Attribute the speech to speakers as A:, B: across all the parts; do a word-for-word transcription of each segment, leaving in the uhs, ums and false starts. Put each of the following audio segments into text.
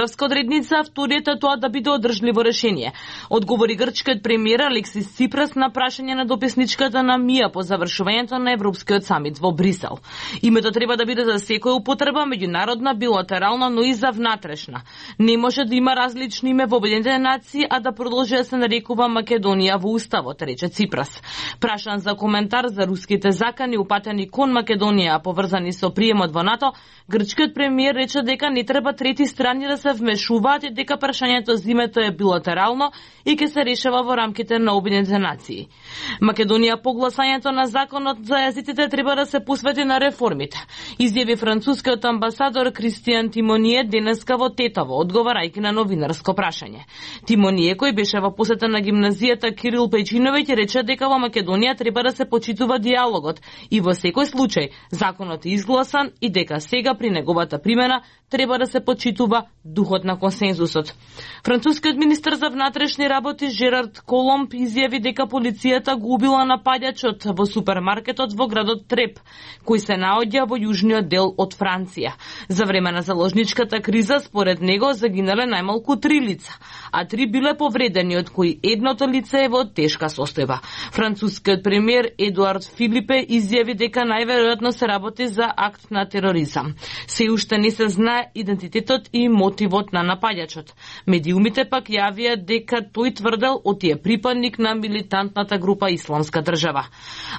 A: одредница, вториот е тоа да биде одржливо решение. Одговори грчкиот премиер Алексис Ципрас на прашање на дописничката на МИА по завршувањето на Европскиот самит во Брисел. Името треба да биде за секоја употреба, меѓународна, билатерална, но и за внатрешна. Не може да има различни име во Обединетите нации, а да продолжи да се нарекува Македонија во уставот, рече Ципрас. Прашан за коментар за руските закани упатени кон Македонија поврзани со приемот во НАТО, грчкиот премиер рече дека не треба трети страни да се вмешуваат и дека прашањето за името е билатерално и ќе се решава во рамките на Обединетите нации. Македонија по гласањето на законот за јазиците треба да се посвети на реформите, изјави францускиот амбасадор Кристијан Тимоние денеска во Тетово, одговарајќи на новинарско прашање. Тимоние, кој беше во посета на гимназијата Кирил Пејчиновиќ, рече дека во Македонија треба да се почитува диалогот и во секој случај законот е изгласан и дека сега при неговата примена треба да се почитува духот на консензусот. Францускиот министер за внатрешни работи Жерард Коломб изјави дека полицијата го убила нападачот во супермаркетот во градот Треп, кој се наоѓа во јужниот дел од Франција. За време на заложничката криза, според него, загинале најмалку три лица, а три биле повредени, од кои едното лице е во тешка состојба. Францускиот премиер Едуард Филипе изјави дека најверојатно се работи за акт на тероризам. Се уште не се знае идентитетот и мотивот на нападачот. Медиумите пак јавија дека тој тврдел од е припадник на милитантната група Исламска држава.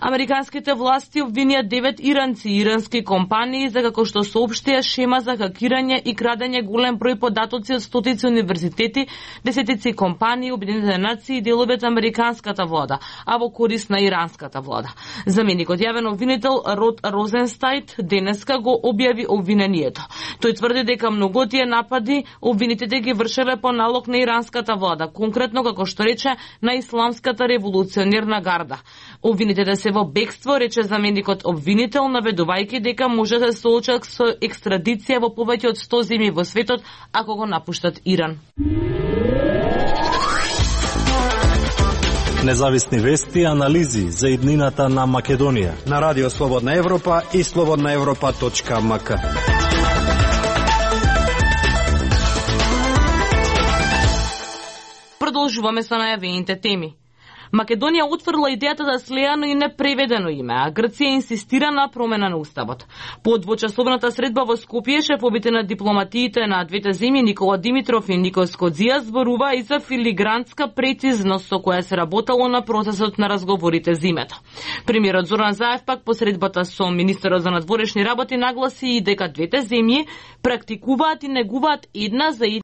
A: Американските власти обвинија девет иранци и ирански компании за како што соопштија шема за хакирање и крадење голем број податоци од стотици универзитети, десетици компании, Обединетите нации и делови од американската влада, а во корист на иранската влада. Заменикот јавен обвинител Род Розенстајт денеска го објави обвинението. Тој тврди дека многу тие напади обвинетите ги вршеле по налог на иранската влада, конкретно како што рече на Исламската револуционерна гарда. Обвинетите се во бегство, рече заменикот обвинител, наведувајќи дека може да се соочат со екстрадиција во повеќе од сто земји во светот ако го напуштат Иран.
B: Независни вести и анализи за иднината на Македонија
C: на Радио Слободна Европа и слободна европа точка ем ка.
A: Продолжуваме со најавените теми. Македонија отфрла идејата за слеано и непреведено име, а Грција инсистира на промена на уставот. По двочасовната средба во Скопје, шефовите на дипломатиите на двете земји Никола Димитров и Никос Кодзија зборува и за филигранска прецизност со која се работело на процесот на разговорите за името. Премиерот Зоран Заев пак по средбата со министерот за надворешни работи нагласи и дека двете земји практикуваат и негуваат една за